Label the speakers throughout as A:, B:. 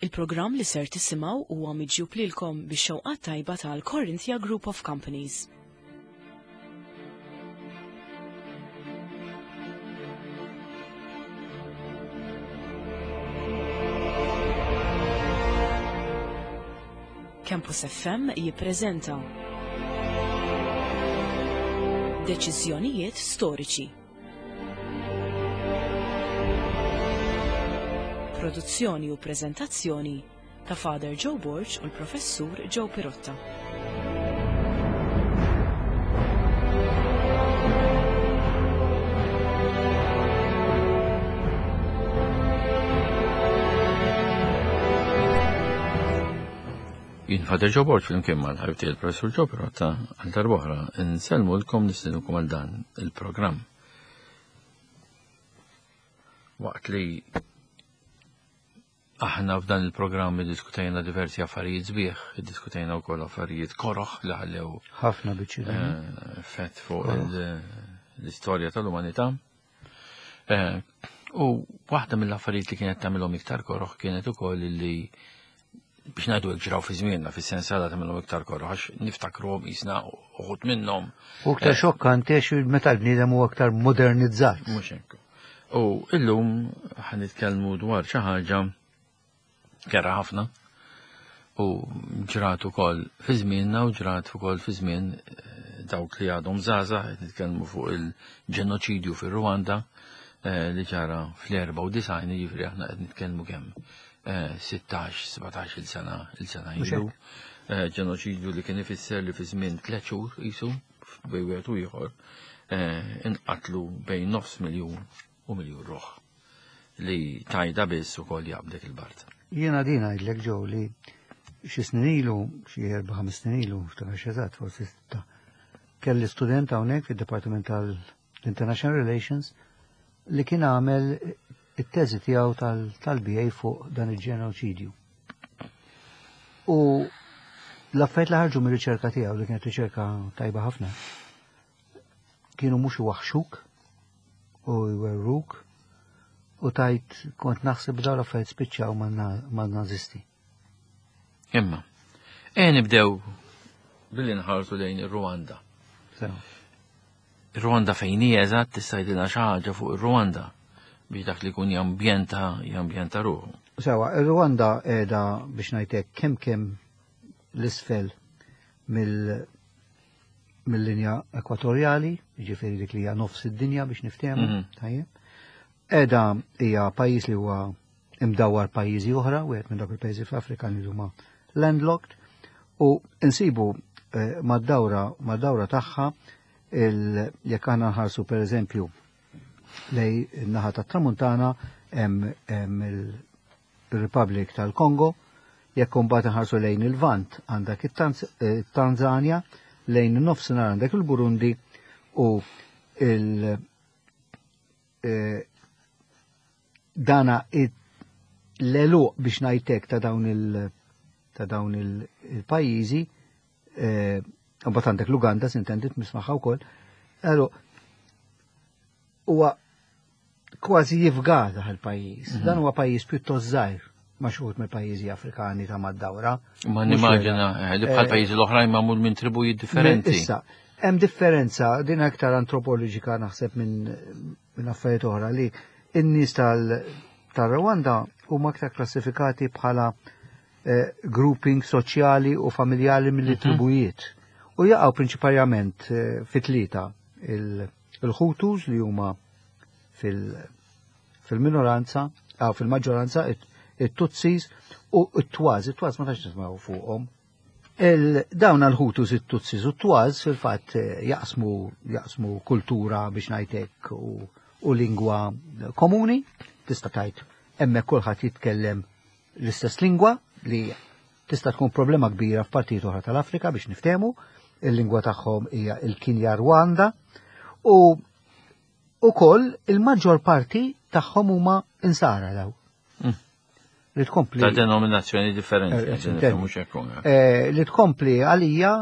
A: Il-programm li ser tisimgħu huwa miġjub lilkom bix-xewqat tajba tal-Corinthia Group of Companies. Campus FM jippreżenta Deċiżjonijiet storiċi. Produzzjoni u preżentazzjoni ta' Father Joe Borg u l-Professur Joe Pirotta.
B: Jien Father Joe Borg flimkien mal-ħabib tiegħi l-Professur Joe Pirotta għal darb'oħra nsellmulkom nistiednukom għal dan il-programm. Waqt li aħna f'dan il-programm iddiskutejna diversi affarijiet sbieħ, iddiskutejna wkoll affarijiet koroħ li ħallew
C: ħafna biċċi
B: eh, fett fuq l-istorja tal-umanità. Eh, u waħda mill-affarijiet li kienet tagħmilhom iktar koroħ kienet ukoll li biex ngħidu hekk ġraw fi żmienna fis-sens għadha tagħmilhom iktar koroħ għax niftakruhom qisna uħud minnhom.
C: U iktar eh, xokkanti għax meta l-bniedem huwa aktar modernizzat.
B: Mhux hekk. U illum ħan nitkellmu dwar xi ħaġa kerha ħafna u ġrat ukoll fi żmienna u ġrat ukoll fi żmien eh, dawk li għadhom żgħażagħ qed nitkellmu fuq il-ġenoċidju fir-Rwanda eh, li ġara fl-94 jiġifieri aħna qed nitkellmu kemm 16, 17 il-sena il-sena ilu. Ġenoċidju li kien ifisser li fi żmien tliet xhur qisu bejn wieħed u ieħor inqatlu bejn nofs miljun u miljun ruħ li tajda biss ukoll jaqbdek il-bard.
C: Jiena din ngħidlek ġew li xi snin ilu, xi erba' ħames snin ilu, ftakar eżatt, forsi sitta, kelli student hawnhekk fid-Dipartiment tal-International Relations li kien għamel it-teżi tiegħu tal-BA fuq dan il-ġenoċidju. U l-affarijiet li ħarġu mir-riċerka tiegħu li kienet riċerka tajba ħafna kienu mhux iwaħxuk u jwerruk u tajt kont naħseb dawn l-affarijiet spiċċaw man-nazisti.
B: Imma, e nibdew billi nħarsu lejn ir-Rwanda. Ir-Rwanda fejn hija eżatt tista' jgħidilna xi ħaġa fuq ir-Rwanda biex dak li jkun jambjenta jambjenta ruħu.
C: Sewa, ir-Rwanda qiegħda biex ngħidlek kemm kemm l-isfel mill mill-linja ekwatorjali, jiġifieri dik li hija nofs id-dinja biex niftehmu, mhm. tajjeb. Qiegħda hija pajjiż li huwa imdawwar pajjiżi oħra, wieħed minn dawk il-pajjiżi fl-Afrika li huma landlocked, u nsibu eh, mad-dawra mad-dawra tagħha jekk aħna nħarsu pereżempju lej in-naħa tat-Tramuntana hemm il-Republic tal-Kongo, jekk imbagħad nħarsu lejn il-Vant għandek it-Tanzania, lejn in-nofsinhar għandek il-Burundi u il- eh, dana l-eluq biex ngħidlek ta' dawn il- ta' dawn il-pajjiżi, eh, mbagħad għandek l-Uganda s'intendit mismaħħa wkoll, allora huwa kważi jifgata il-pajjiż. Mhm. Dan huwa pajjiż pjuttost żgħir ma' xi mill-pajjiżi Afrikani ta' mad-dawra.
B: Ma nimmaġina eh, li bħal eh, pajjiżi l-oħrajn magħmul minn tribujiet differenti.
C: Issa, hemm differenza din aktar antropoloġika naħseb minn minn affarijiet oħra li n-nies tal-Rwanda huma aktar klassifikati bħala eh, grouping soċjali u familjali milli mhm. tribujiet. U jaqgħu prinċipalment eh, fi tlieta il-Hutus li huma fil-minoranza, ah, fil-maġġoranza, it-Tutsis u t-Twaz. It-Twaz ma tax nismaw fuqhom. Dawn għal-Hutus, it-Tutsis u t-Twaz fil-fatt eh, jaqsmu jaqsmu kultura biex ngħidlek u, u lingwa komuni, tista' tgħid hemmhekk kulħadd jitkellem l-istess lingwa li tista' tkun problema kbira f'partijiet oħra tal-Afrika biex niftehmu, il-lingwa tagħhom hija il-Kinja Rwanda u ukoll il-maġġor parti tagħhom huma insara daw. Mm.
B: Li tkompli. Ta' denominazzjoni differenti, eh, eh, mhux hekk.
C: Eh, li tkompli għalija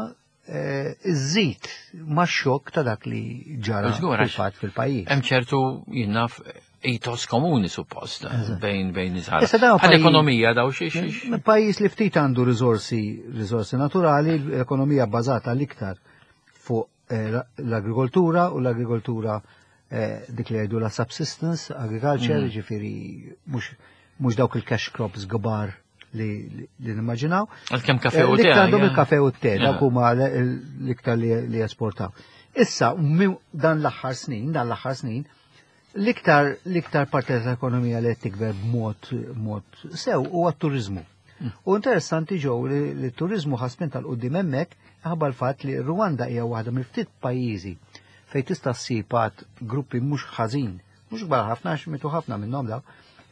C: iżżid ma' xokk ta' dak li ġara fil-fatt fil-pajjiż.
B: Hemm ċertu jinnaf ethos komuni suppost bejn bejn nies.
C: Issa dawn
B: Bħal ekonomija daw xi xi.
C: Pajjiż li ftit għandu riżorsi riżorsi naturali, l-ekonomija bbażata l-iktar fuq eh, l-agrikoltura u l-agrikoltura eh, dik li jgħidu la subsistence agriculture, ġifieri mhux dawk il-cash crops kbar li li nimmaġinaw.
B: Għalkemm kafe u
C: Eh,
B: te.
C: L-iktar għandhom il-kafe u te, dawk huma l-iktar li jesportaw. Issa, dan l-aħħar snin, dan l-aħħar snin, l-iktar l-iktar parti tal-ekonomija li qed tikber b'mod mod sew huwa t-turizmu. U interessanti ġew li li t-turizmu ħasmin tal-qudiem hemmhekk ħabba l-fatt li Rwanda hija waħda mill-ftit pajjiżi fejn tista' ssib għad gruppi mhux ħażin, mhux kbar ħafna għax mitu ħafna minnhom daw,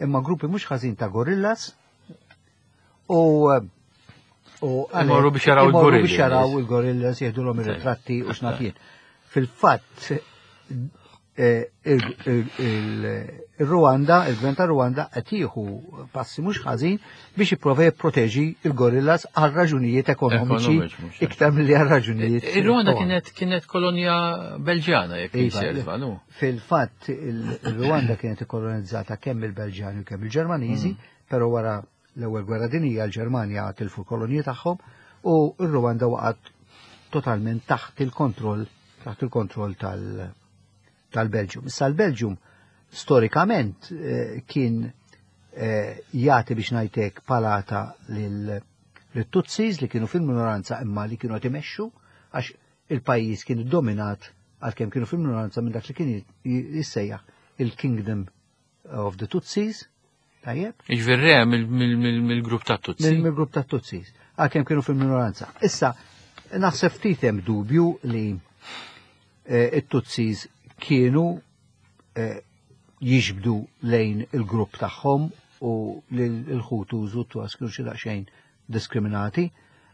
C: imma gruppi mhux ħażin ta' gorillas u u
B: Imorru biex jaraw
C: imorru
B: il-gorillas.
C: biex jaraw il-gorillas jieħdulhom ir-ritratti u x'naf jien. Fil-fatt eh, il-Rwanda, il-gvern ta' Rwanda qed jieħu passi mhux ħażin biex jipprova jipproteġi il-gorillas għal raġunijiet ekonomiċi
B: Ekonomiċi, mhux hekk.
C: iktar milli għal raġunijiet.
B: Ir-Rwanda kienet kienet kolonja Belġjana jekk
C: Iva,
B: inserva, nu.
C: Fil-fatt il-Rwanda kienet ikkolonizzata kemm il-Belġjani u kemm il-Ġermaniżi, però wara l-ewwel gwerra dinjija l-Ġermanja tilfu l-kolonji tagħhom u r-Rwanda waqgħet totalment taħt il-kontroll taħt il-kontroll tal- tal-Belġium. Issa l-Belġium storikament eh, kien eh, jagħti biex ngħidlek palata lil lit-Tutsis li kienu fil-minoranza imma li kienu qed imexxu għax il-pajjiż kien dominat għalkemm kienu fil-minoranza minn dak li kien jissejjaħ il-Kingdom of the Tutsis, tajjeb?
B: Iġveri re mill-grupp ta' Tutsi.
C: Mill-grupp ta' Tutsis, għalkemm kienu fil-minoranza. Issa, naħseb ftit hemm dubju li eh, it-Tutsis kienu eh, jiġbdu lejn il-grupp tagħhom u l-Hutus u t-Tuas kienu xi daqsxejn diskriminati.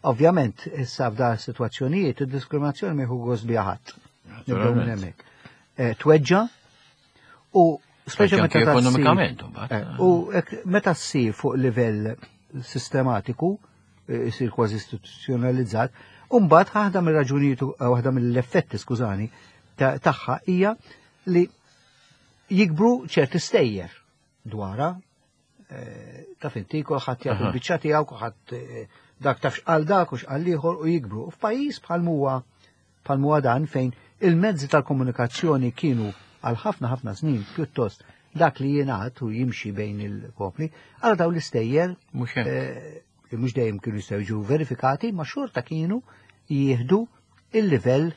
C: Ovvjament, issa f'da situazzjonijiet, id-diskriminazzjoni ma jieħu gost biha ħadd. Nibdew minn hemmhekk. Eh, Tweġġa u speċa
B: Anke
C: meta tassir-
B: ekonomikament, imbagħad.
C: Eh, U hekk meta ssir fuq livell sistematiku, eh, isir kważi istituzzjonalizzat, u mbagħad waħda mir-raġunijiet eh, waħda mill-effetti, skużani, tagħha hija li jikbru ċerti stejjer dwarha eh, taf inti kulħadd jagħti l-biċċa tiegħu, kulħadd eh, dak taf x'qal dak u x'qal ieħor u jikbru. U F'pajjiż bħal huwa bħal huwa dan fejn il-mezzi tal-komunikazzjoni kienu għal ħafna ħafna snin pjuttost dak li jingħad u jimxi bejn il-popli, għal daw l-istejjer
B: Mhux hekk.
C: eh, li mhux dejjem kienu jistgħu jiġu verifikati, ma xorta kienu jieħdu il-livell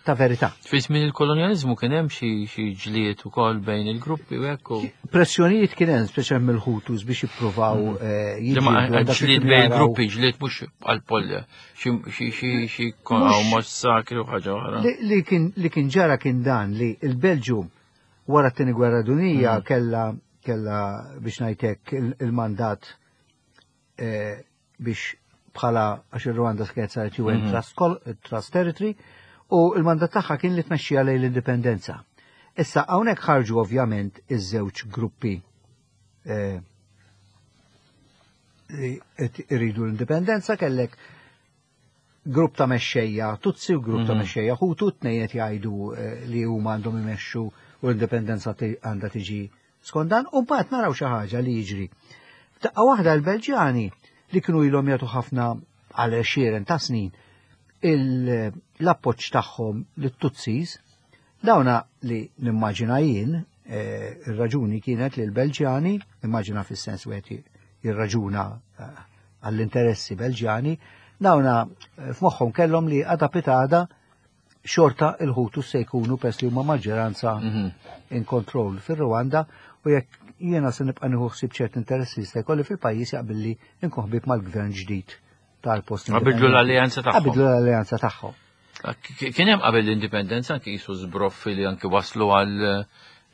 C: ta' verità.
B: Fi żmien il-kolonjaliżmu kien hemm xi xi ġlied ukoll bejn il-gruppi u hekk u
C: Pressjonijiet kien hemm speċjalment mill-Hutus biex jippruvaw eh,
B: Li ma
C: jiġġieldu dak li
B: ġlied
C: kienu
B: bejn
C: jaraw.
B: il-gruppi, ġlied mhux għal-polja, xi xi xi xi massakri u ħaġa oħra.
C: Li, li kien li kien ġara kien dan li il-Belġu wara t-tieni gwerra dinjija kella kella biex ngħidlek il- il-mandat eh, biex bħala għax ir-Rwanda kienet saret UN Trust, Col- Trust Territory u il-mandat tagħha kien li tmexxija lejn l-indipendenza. Issa hawnhekk ħarġu ovvjament iż-żewġ gruppi eh, li qed iridu l-indipendenza kellek grupp ta' mexxejja Tutsi u grupp ta' mexxejja Hutu tnejn qed jgħidu eh, li huma għandhom imexxu u l-indipendenza ti- għandha tiġi skont dan u mbagħad naraw xi ħaġa li jiġri. F'daqqa waħda l-Belġjani li kienu ilhom jagħtu ħafna għal għexieren ta' snin il- l-appoġġ tagħhom lit-Tutsis dawna li nimmaġina jien eh, ir-raġuni kienet li l-Belġjani, immaġina fis-sens wieħed jirraġuna eh, għall-interessi Belġjani, dawna eh, f'moħħhom kellhom li għada pitada xorta il-Hutu se jkunu pers li huma maġġoranza in control fir-Rwanda u jekk jiena se nibqa' nieħu ħsieb ċert interessi jista' jkolli fil-pajjiż jaqbilli nkun ħbieb mal-gvern ġdid tal-post.
B: Qabidlu l-alleanza tagħhom.
C: Qabidlu l-alleanza tagħhom.
B: Kien hemm qabel l-indipendenza anki jisu żbroffi li anki waslu għal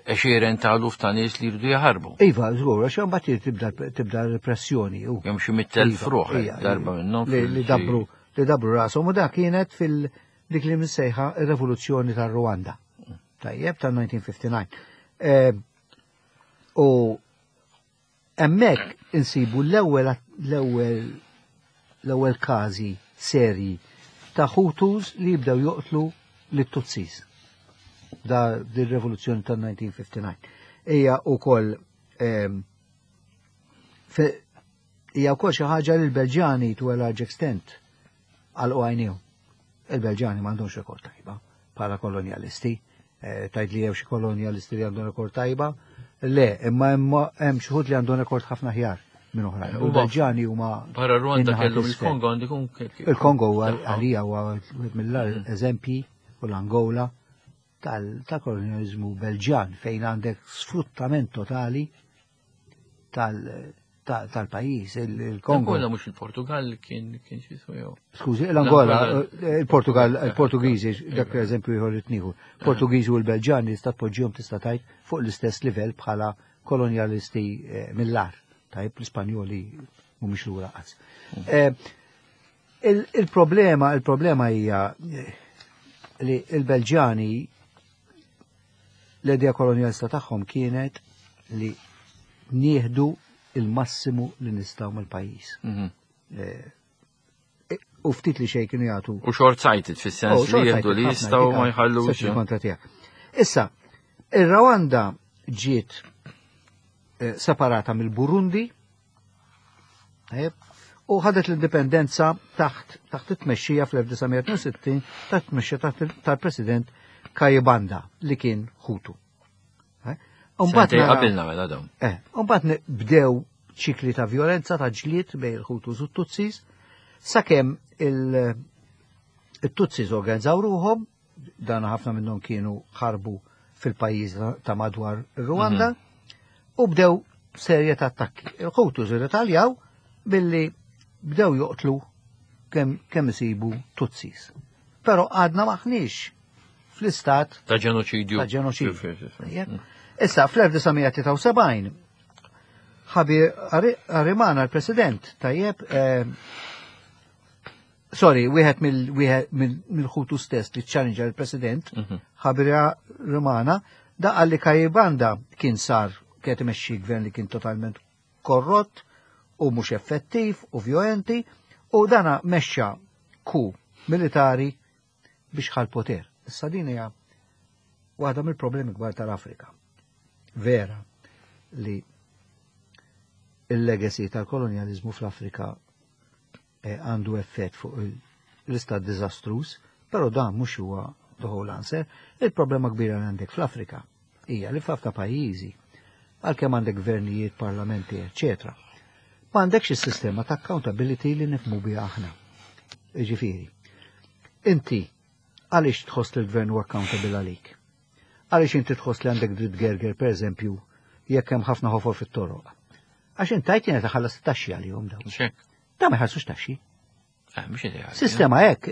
B: għexieren ta' eluf ta' nies li jridu jaħarbu.
C: Iva, żgur, għax imbagħad tibda tibda repressjoni. u-
B: Kemm xi 100,000
C: Iva,
B: ruħ
C: ija,
B: darba
C: iva.
B: minnhom
C: Li
B: fil-
C: li dabru li dabru rashom u dak kienet fil dik li msejħa ir-Revoluzzjoni tar-Rwanda. Tajjeb tal-1959. Eh, U hemmhekk insibu l-ewwel l-ewwel l-ewwel każi serji ta' Hutus li jibdew joqtlu lit-Tutsis. Da dir-rivoluzzjoni tal-1959. Hija wkoll ehm, hija wkoll xi ħaġa li l-Belġjani to a large extent għalqu għajnihom. Il-Belġjani m'għandhomx rekord tajba bħala kolonjalisti. Eh, tajt li jew xi kolonjalisti li għandhom rekord tajba. Le, imma hemm xi li għandhom rekord ħafna ħjar minn oħrajn. U l-Belġjani huma.
B: Barra Rwanda kellhom il-Kongo għandu jkun.
C: Il-Kongo għalija huwa wieħed mill-agħar mm. eżempji u l-Angola tal-kolonjalizmu Belġjan fejn għandek sfruttament totali tal-pajjiż, il-Kongo.
B: L-Angola mhux il-Portugal kien kien xi jew.
C: Skużi, l-Angola, eh, il-Portugal, eh, il-Portugiżi, dak eżempju ieħor li tnieħu. Portugiżi u l-Belġani tista' tpoġġihom tista' tgħid fuq l-istess livell bħala kolonjalisti eh, mill-ar. Tajb l-Ispanjoli mhumiex lura qatt. Mm. Il-problema, il-problema hija li l-Belġani L-idea kolonjalista tagħhom kienet li nieħdu il-massimu li nistgħu mill-pajjiż. Mhm. Eh, u ftit li xejn kienu jagħtu.
B: U short sighted fis-sens oh, li jieħdu li jistgħu ma jħallux.
C: Kontra tiegħek. Issa, ir-Rwanda ġiet eh, separata mill-Burundi U ħadet l-indipendenza taħt taħt it-tmexxija fl-1962 taħt tmexxija taħt tal-President Kayibanda li kien Hutu.
B: Umbagħad qabilna mela dawn.
C: Eh, umbagħad bdew ċikli ta' violenza ta' ġlied bejn il-Hutus u t-Tutsis sakemm il-Tutsis organizzaw ruħhom dan ħafna minnhom kienu ħarbu fil-pajjiż ta' madwar Rwanda mhm. u bdew serje ta' attakki. Il-Hutus irretaljaw billi bdew joqtlu kemm kem isibu Tutsis. Però għadna maħniex fl-istat
B: ta' ġenoċidju.
C: Ta' ġenoċidju. Mm. Issa fl-1973 Ħabi Arimana l-President tajjeb eh, Sorry, wieħed mill-ħutu stess li challenge l-President, mhm. Ħabira Romana, da li Kajibanda kien sar kienet imexxi gvern li kien totalment korrott u mhux effettiv u vjolenti u dana mexxa ku militari biex ħal poter. Issa din hija waħda mill-problemi kbar tal-Afrika. Vera li il-legacy tal-kolonjalizmu fl-Afrika Eh, għandu effett fuq l-istat diżastruż, però dan mhux huwa the whole answer. Il-problema kbira li għandek fl-Afrika hija li f'ħafna pajjiżi għalkemm għandek gvernijiet, parlamenti, eċetera. Ma għandekx is-sistema ta' accountability li nifmu biha aħna. Ġifieri, inti għaliex tħoss li l-gvern huwa accountable għalik? Għaliex inti tħoss li għandek dritt gerger, per eżempju, jekk hemm ħafna ħofor fit-toroq? Għax int tajt jiena taħallas taxxi għalihom dawn. Da ma jħallsux taxxi.
B: Eh, mhux ideali.
C: Sistema hekk,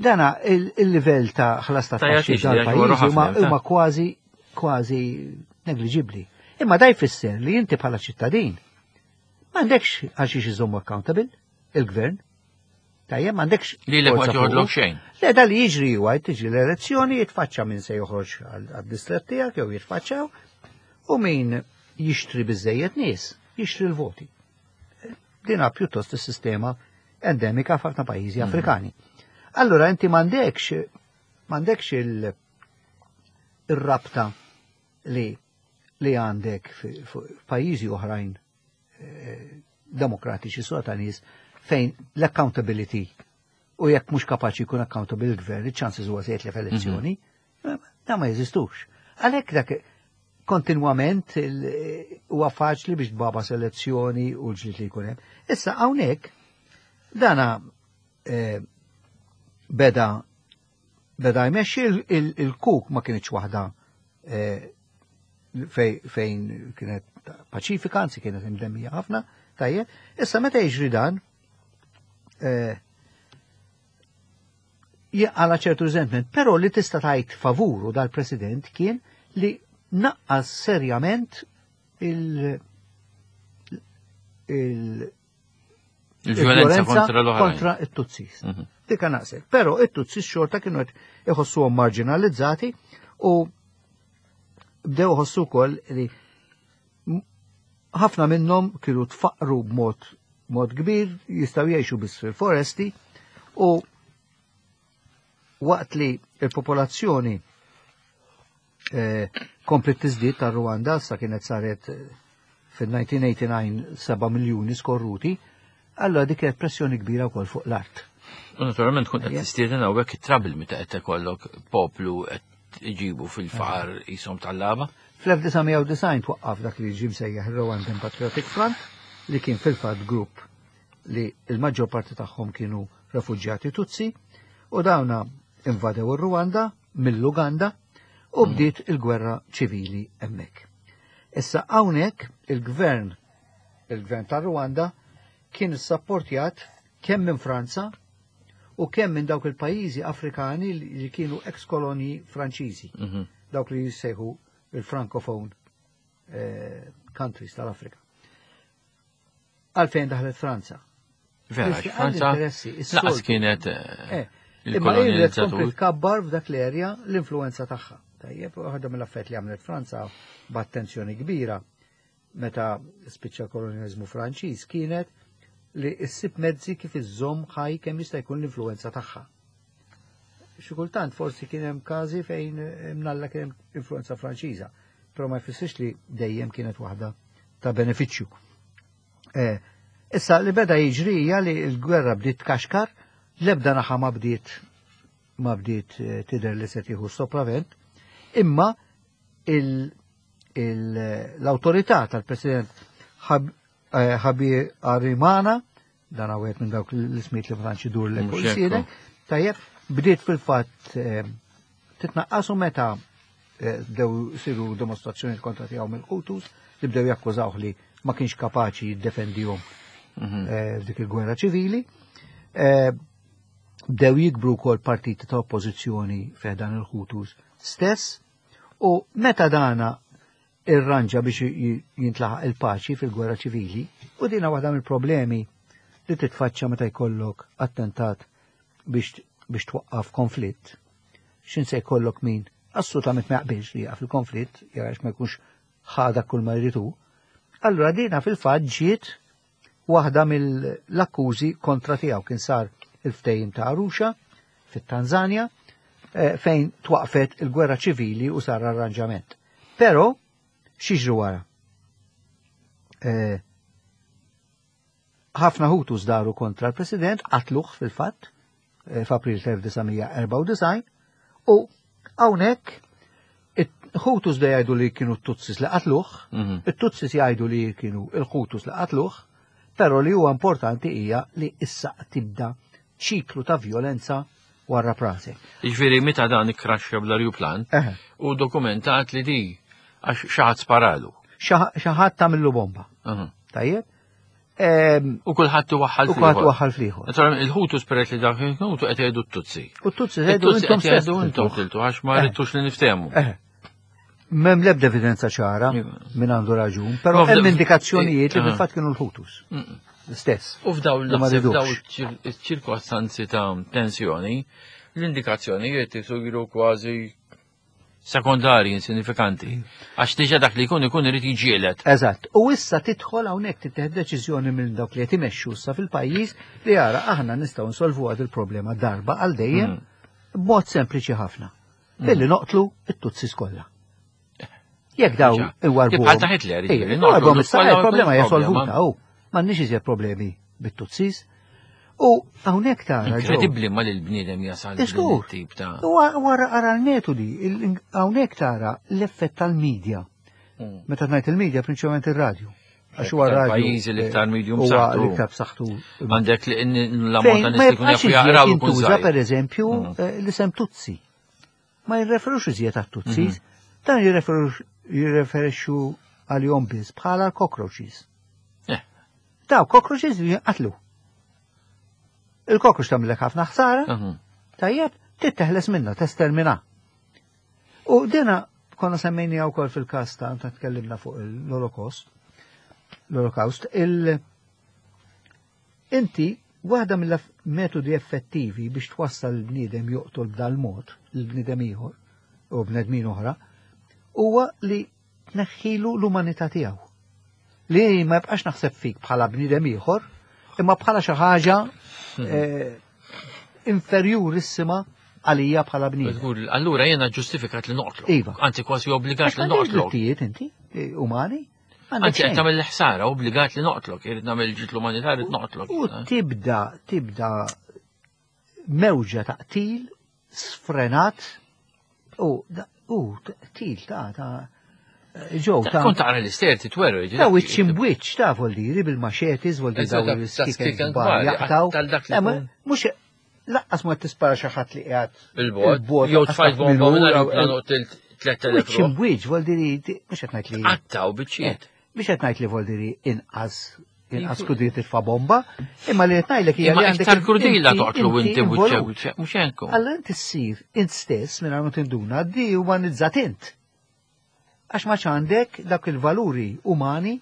C: dana il-livell ta' ħlas ta' taxxi dal-pajjiż huma kważi kważi negliġibbli. Imma da jfisser li inti bħala ċittadin m'għandekx għal xiex iżommu accountable il-gvern. Tajjeb m'għandekx.
B: Li l ma joħodlok xejn.
C: Le da li jiġri huwa tiġi l-elezzjoni jitfaċċa min se joħroġ għad-distret tiegħek jew jitfaċċaw u min jixtri biżejjed nies, jixtri l-voti. Dina pjuttost is-sistema endemika f'ħafna pajjiżi mhm. Afrikani. Allura inti m'għandekx m'għandekx il-rabta li li għandek f'pajjiżi oħrajn eh, demokratiċi sura ta' nies fejn l-accountability u jekk mhux kapaċi jkun accountable il-gvern, iċ-chances huwa se jitlef elezzjoni, mhm. da ma jeżistux. Għalhekk dak kontinwament huwa faċli biex tbaba selezzjoni u l-ġlied li jkun hemm. Issa hawnhekk dana eh, beda beda jmexxi il-kuk ma kienx waħda eh, fejn kienet paċifika, anzi kienet imdemmija ħafna, tajjeb. Issa meta jiġri dan, eh, għala ċertu resentment, però li tista' tajt favuru dal-President kien li naqqas serjament il-
B: il Il-violenza kontra l
C: Kontra it-Tutsis. Mhm. Dika naqsek. Però it-Tutsis xorta kienu qed iħossuhom marginalizzati u bdew iħossu wkoll li ħafna minnhom kienu tfaqru b'mod mod kbir, jistgħu jgħixu biss fil-foresti u waqt li il-popolazzjoni Kompliet tiżdied tar-Rwanda, sa kienet saret fil-1989 7 miljuni skorruti, allora dik kienet pressjoni kbira wkoll fuq l-art.
B: U naturalment tkun qed tistieden hawnhekk it-trouble meta qed ikollok poplu qed iġibu fil-faqar qishom tal-laba.
C: Fl-1990 twaqqaf dak li ġie msejjaħ ir-Rwandan Patriotic Front, li kien fil-fatt grupp li l-maġġor parti tagħhom kienu refuġjati Tutsi, u dawna invadew ir-Rwanda mill-Uganda u bdiet il-gwerra ċivili hemmhekk. Issa hawnhekk il-gvern tar-Rwanda kien issapportjat kemm minn Franza u kemm minn dawk il-pajjiżi Afrikani li kienu ex-kolonji Franċiżi, dawk li jissejħu il-Francophone countries tal-Afrika. Għalfejn daħlet Franza?
B: Vera,
C: Biss
B: Franza
C: għall-interessi, is-soltu.
B: laqas kienet
C: Imma hi li
B: il-kolonizzatur.
C: tkompli tkabbar f'dak l-erja l-influenza tagħha. Tajjeb, waħda mill-affarijiet li għamlet Franza b'attenzjoni kbira meta spiċċa kolonjalizmu Franċiż kienet li ssib mezzi kif iżżomm ħaj kemm jista' jkun l-influenza tagħha. Xi kultant forsi kien hemm każi fejn mnalla kien hemm influenza Franċiża, però ma jfissirx li dejjem kienet waħda ta' benefiċċju. Issa li beda jiġri hija li l-gwerra bdiet tkaxkar, l-ebda naħa ma bdiet tidher li se tieħu sopravent, imma l-awtorità tal-President Habyarimana, dan għawet minn dawk l-ismijiet li ma tantx idur l
B: Mhux
C: fuq
B: hekk,
C: isielek, tajjeb, bdiet fil-fatt titnaqqas u meta bdew siru dimostrazzjoni kontra tiegħu mill-Hutus li bdew jakkużawh li ma kienx kapaċi jiddefendihom f'dik il-gwerra ċivili. Bdew jikbru wkoll partiti ta' oppożizzjoni f'dan il-Hutus stess, u meta dana irranġa biex jintlaħaq il-paċi fil-gwerra ċivili, u dina waħda mill-problemi li titfaċċa meta jkollok attentat biex twaqqaf konflitt. X'in se jkollok min assolutament ma jaqbilx li jaqaf il-konflitt, jarax ma jkunx ħada kull ma jridu. Allura dina fil-fatt ġiet waħda mill-akkużi kontra tiegħu. Kien sar il-ftehim ta' Arusha fit-Tanzania fejn twaqfet il-gwerra ċivili u sar arranġament. Però x'jiġri wara? Ħafna Hutus daru kontra l-President, qatluh fil-fatt f'April 1994, u hawnhekk it-Hutus da jgħidu li kienu t-Tutsis li qatluh, it-Tutsis jgħidu li kienu il-Hutus li qatluh, però li huwa importanti hija li issa tibda ċiklu ta' violenza wara prasek.
B: Jiġifieri meta dan ikkraxxa bl-ajruplan u dokumentat li di għax xi ħadd sparalu.
C: Xi ħadd tagħmillu bomba. Tajjeb?
B: U kulħadd iwaħħal
C: U kulħadd
B: fl-ieħor.
C: iwaħħal fl-ieħor.
B: Naturalment il-Hutus peress li dak il-Hutu qed jgħidu t-Tutsi.
C: U t-Tutsi jgħidu
B: It-Tutsi
C: intom
B: qed jgħidu
C: stess
B: intom
C: tiltuh.
B: tiltu għax ma ridtux li niftehmu.
C: M'hemm l-ebda evidenza ċara minn għandu raġun, però
B: Ma f'da-
C: hemm indikazzjonijiet li fil-fatt kienu l-Hutus. Stess.
B: U f'daw
C: Li ma
B: naħseb
C: ridux.
B: f'daw iċ-ċirkostanzi ta' tensjoni, l-indikazzjonijiet isiru kważi sekondari, insignifikanti. Għax diġà dak li jkun ikun irid jiġielet.
C: Eżatt. U issa tidħol hawnhekk tittieħed deċiżjoni minn dawk li qed imexxu issa fil-pajjiż li jara aħna nistgħu nsolvu għad il-problema darba għal dejjem b'mod sempliċi ħafna. Billi noqtlu it-Tutsis kollha. Jekk daw
B: Diġà.
C: iwarbuhom.
B: Bħal ta' Hitler,
C: Ejja,
B: jiġifieri,
C: iwarbuhom
B: noqtlu
C: issa,
B: kollha
C: il-problema hija
B: problema.
C: solvuta, u m'għandniex iżjed problemi bit-Tutsis. U hawnhekk tara, Joe.
B: Inkredibbli ma li l-bniedem jasal din
C: Iżgur.
B: it-tip ta'
C: U wara ara l-metodi, hawnhekk tara l-effett tal-medja. Meta ngħid il-medja, prinċipalment ir-radju. Għax huwa
B: Iktar
C: radju,
B: pajjiżi l-iktar medium
C: huwa
B: b'saħħtu.
C: l-iktar b'saħħtu.
B: Għandek li l-ammont
C: Fejn
B: ta'
C: ma
B: nies li jkun
C: jibqax
B: jafu
C: iżjed
B: jaqraw ikun
C: jintuża,
B: żgħir.
C: per eżempju, l-isem Tutsi. Ma jirreferux iżjed għat-Tutsis, dan jirreferixxu għalihom biss bħala l-cockroaches. Daw cockroaches jinqatlu. Il-cockroach tagħmilek ħafna ħsara, tajjeb, titteħles minna, testermina. U dina konna semmejnija wkoll fil-każ ta' meta tkellimna fuq l-Holocaust, l-Holocaust, inti waħda mill-metodi effettivi biex twassal l-bniedem joqtol b'dal-mod, l-bniedem ieħor u bnedmin oħra, huwa li tneħħilu l-umanità tiegħu. Li ma jibqax naħseb fik bħala bniedem ieħor, imma bħala xi ħaġa inferjurissima għalija bħala bniedem.
B: Tqul, Allura jiena ġustifikat li noqtlok.
C: Iva.
B: Anzi kważi obbligat
C: Għax
B: li
C: m'għandekx
B: noqtlok.
C: drittijiet inti, eh, umani. M'għandek
B: Anzi qed
C: xejn.
B: tagħmel ħsara, obbligat li noqtlok, irid nagħmel ġit l-umanità irid noqtlok.
C: U
B: jiena.
C: tibda, tibda mewġa ta' qtil sfrenat u da- u qtil ta' ta' ġew ta'
B: Kont taqra l-ister titweru.
C: Ta' wiċċ imbwiċċ ta' voldiri bil-machetes, voldiri
B: Eżatt,
C: daw
B: ta'
C: l-skiken
B: skiken
C: kbar
B: kbar,
C: jaqtaw.
B: tal dak li
C: Eh, ma-
B: jkun.
C: Mhux laqqas ma tispara xi ħadd li qiegħed
B: Il-bot, jew
C: laqqas
B: tfajt
C: taf
B: bomba
C: min hu,
B: minn
C: jew-
B: aeroplan u qtilt 3000
C: Wiċċ imbwiċċ voldiri mhux qed ngħid li
B: Qattaw biċċiet.
C: biex qed ngħid li voldiri inqas inqas krudili titfa' bomba, imma li qed ngħidlek hija
B: Imma
C: li għandek
B: iktar krudila
C: inti-
B: toqtlu inti
C: involut.
B: wiċċ mhux hekk.
C: Allora inti ssir int stess minn ma tinduna di umanizzat int. Għax ma għandek dak il-valuri umani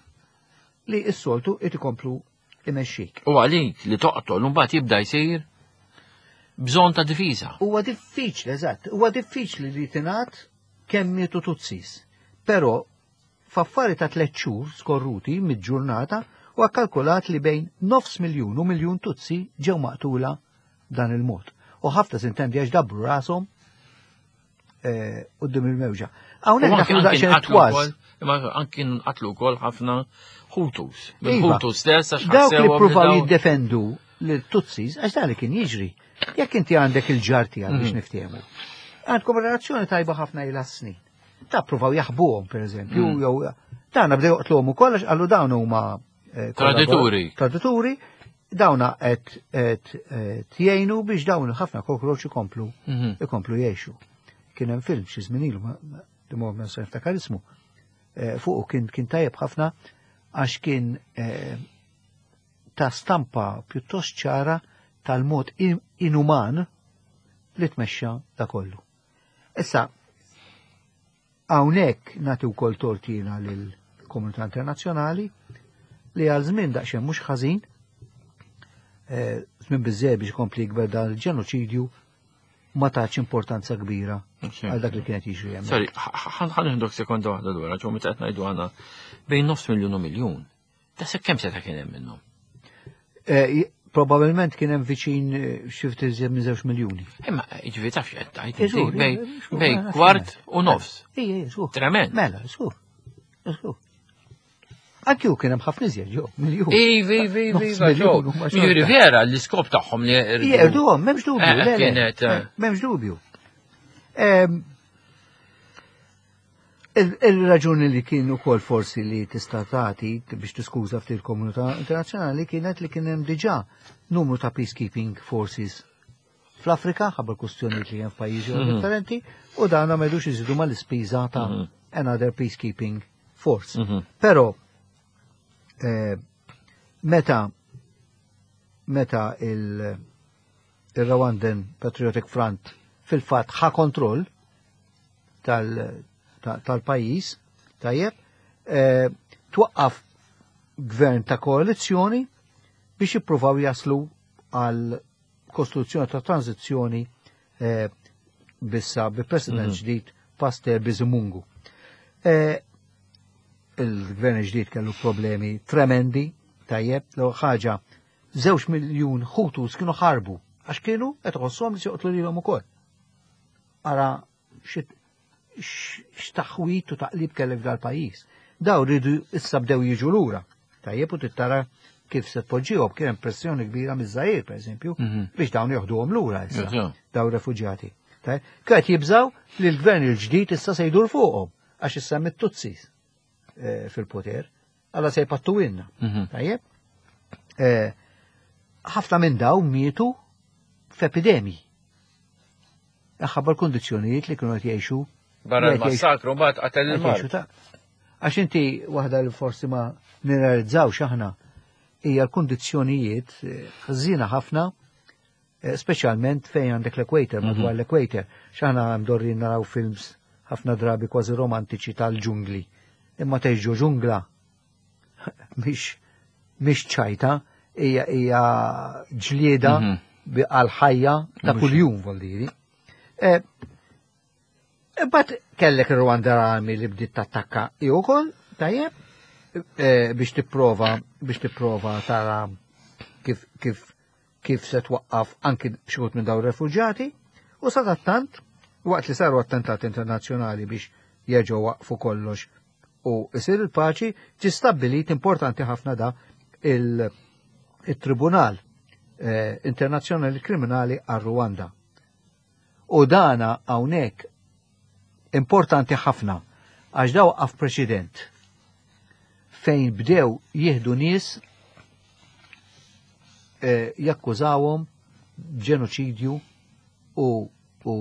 C: li s-soltu it ikomplu imexxik.
B: U għalik li toqtol mbagħad jibda jsir bżonn ta' difiża.
C: Huwa diffiċli, eżatt, huwa diffiċli li tingħad kemm mietu Tutsis. Però f'affari ta' tliet xhur skorruti mid-ġurnata huwa kalkulat li bejn nofs miljun u miljun Tutsi ġew maqtula dan il-mod. U ħafna sintendi għax dabbru rashom eh, quddiem il-mewġa. Hawnhekk
B: U anki-
C: daħlu
B: anki
C: daqsxejn
B: nqatlu
C: tważ.
B: wkoll- Imma anki nqatlu wkoll ħafna Hutus.
C: Iva.
B: Bil-Hutus stess għax
C: Dawk li
B: ħassewhom
C: pruvaw
B: dawn-
C: jiddefendu l-Tutsis, għax dan li kien jiġri. Jekk inti għandek il-ġar tiegħek biex niftehmu. Għandkom relazzjoni tajba ħafna ilha snin. Ta' pruvaw jaħbuhom pereżempju, jew dawna bdew joqtluhom ukoll għax qalu dawn huma eh,
B: Tradituri.
C: Tradituri, dawna qed qed qed jgħinu biex dawn ħafna kokroċ ikomplu ikomplu jgħixu. Kien hemm film xi żmien ilu, ma- ma- di ma nista' niftakar ismu. Eh, Fuqu kien kien tajjeb ħafna għax kien eh, ta' stampa pjuttost ċara tal-mod in- inuman li tmexxa da kollu. Issa, hawnhekk nagħti wkoll tortina lill-komunità internazzjonali li għal żmien daqsxejn mhux ħażin, eh, żmien biżżejjed biex ikompli jikber dan il-ġenoċidju ma tax importanza kbira għal dak li kienet jiġri hemmhekk.
B: Sorry, ħan ħandok sekonda waħda dwar, ġo meta qed ngħidu għandna bejn nofs miljun u miljun. Ta' se kemm seta' kien hemm minnhom?
C: Eh, Probabilment kien hemm viċin eh, xi ftit iżjed minn żewġ miljuni.
B: Imma jiġifieri taf x'qed tgħid
C: Eh, żgur,
B: inti, bej
C: eh, żgur,
B: bej
C: mela,
B: kwart u nofs.
C: Ejja, ejja, żgur.
B: Tremend.
C: Mela, żgur. Żgur. Anki hu kien hemm ħafna iżjed, ġo, miljun.
B: Ivi, ivi, ivi,
C: Nofs
B: iva, ġo.
C: miljun huma xorta.
B: Jiġifieri vera l-iskop tagħhom li
C: Jerduhom, m'hemmx dubju,
B: Eh,
C: le, le,
B: kienet, eh.
C: m'hemmx dubju. Ehm, il- Il-raġuni li kien ukoll forsi li tista' tagħti biex tiskuża ftit il-komunità internazzjonali kienet li kien hemm diġà numru ta' peacekeeping forces fl-Afrika ħabba l-kustjonijiet li hemm f'pajjiżi mm differenti u dan ma jridux iżidu mal-ispiża ta' another peacekeeping force. Però eh, meta meta il- il-Rwandan Patriotic Front fil-fat ħa kontroll tal- ta- tal-pajis, tajjeb, eh, twaqqaf gvern ta' koalizzjoni biex jippruvaw jaslu għal kostruzzjoni ta' tranzizzjoni eh, bissa bi president ġdid Pasteur Bizimungu. Eh, il-gvern ġdid kellu problemi tremendi, tajjeb, l ħaġa, żewġ miljun Hutus kienu ħarbu, għax kienu qed iħossuhom li se joqtlu lilhom ukoll. Ara xi- x- x'taħwit u taqlib kellek dal-pajjiż. Daw rridu issa bdew jiġu lura. Tajjeb u tittara kif se tpoġġihom kien hemm pressjoni kbira miż-Żair pereżempju biex dawn joħduhom lura issa
B: Eżatt.
C: daw refuġjati. Tajjeb, Kienet jibżaw li l-gvern il-ġdid issa se jdur fuqhom għax issa mit-Tutsis eh, fil-poter, alla se jpattu inna. Tajjeb? Eh, Ħafna minn daw mietu f'epidemiji. Ħabba l-kondizzjonijiet li kienu qed jgħixu
B: Barra
C: li qed jgħixu-
B: l-massakru mbagħad qatel
C: qed
B: il-mar.
C: jgħixu ta' Għax inti waħda li forsi ma nirrealizzawx aħna hija l-kundizzjonijiet eh, ħżiena ħafna eh, speċjalment fejn għandek l-equator, madwar l-equator. X'aħna mdorrin naraw films ħafna drabi kważi romantiċi tal-ġungli. Imma tgħix ġo ġungla mhix mhix ċajta, hija hija ġlieda bi- għal ħajja ta' kuljum voldiri. Eh, Imbagħad kellek ir-Rwanda Army li bdiet tattakka hi wkoll, tajjeb, eh, biex tipprova biex tipprova tara kif kif kif se twaqqaf anki xi wħud minn dawn ir-refuġjati. U sadattant, waqt li saru attentati internazzjonali biex jerġgħu waqfu kollox u isir il-paċi, ġi stabbilit importanti ħafna da il-Tribunal eh, Internazzjonali Kriminali għal Rwanda. U dana hawnhekk importanti ħafna għax daw għaf preċedent fejn bdew jieħdu nies eh, jakkużawhom ġenoċidju u, u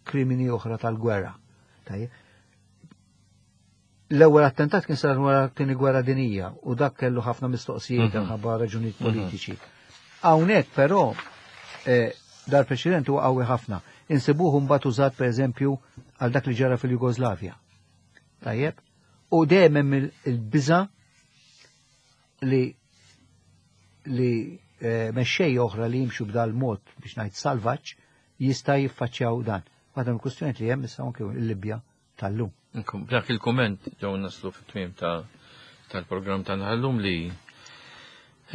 C: krimini oħra tal-gwerra. L-ewwel attentat kien sar wara t-tieni gwerra dinija u dak kellu ħafna mistoqsijiet mhm. ħabba raġunijiet mhm. politiċi. Hawnhekk però eh, dal-preċedent huwa qawwi ħafna. Insibuh mbagħad użat pereżempju għal dak li ġara fil-Jugoslavja. Tajjeb? U dejjem hemm il-biża li li eh, mexxej oħra li jimxu b'dal mod biex ngħid salvaġġ jista' jiffaċċjaw dan. Waħda mill-kwistjonijiet li hemm issa anke l-Libja tal-lum.
B: Dak il-kumment ġew naslu fit-tmiem ta' tal-programm tagħna llum li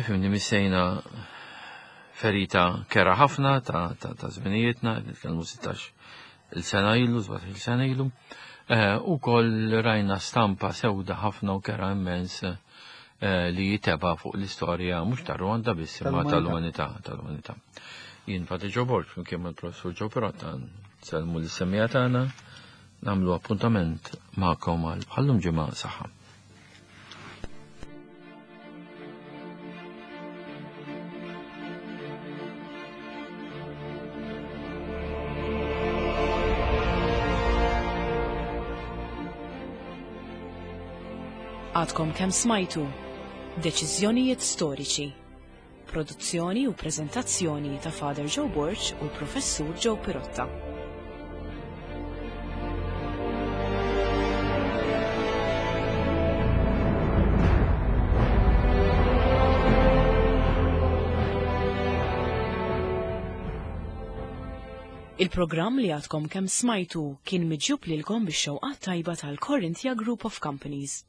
B: ifhimni missejna ferita kera ħafna ta' ta' ta' żminijietna, nitkellmu 16 il-sena ilu, 17 il-sena ilu. Eh, u koll rajna stampa sewda ħafna u kera immens eh, li jiteba fuq l-istorja mhux ta' Rwanda biss imma tal-umanità tal-umanità. Jien Pati Ġo Borg flimkien mal-Professur Ġo Pirotta Sellmu lis-semmiegħa tagħna, nagħmlu appuntament magħkom għal bħallum ġimgħa saħħa.
A: Għadkom kemm smajtu Deċiżjonijiet storiċi. Produzzjoni u preżentazzjoni ta' Father Joe Borg u l-Professur Joe Pirotta. Il-programm li għadkom kemm smajtu kien miġjub lilkom bix-xewqat tajba tal-Corinthia Group of Companies.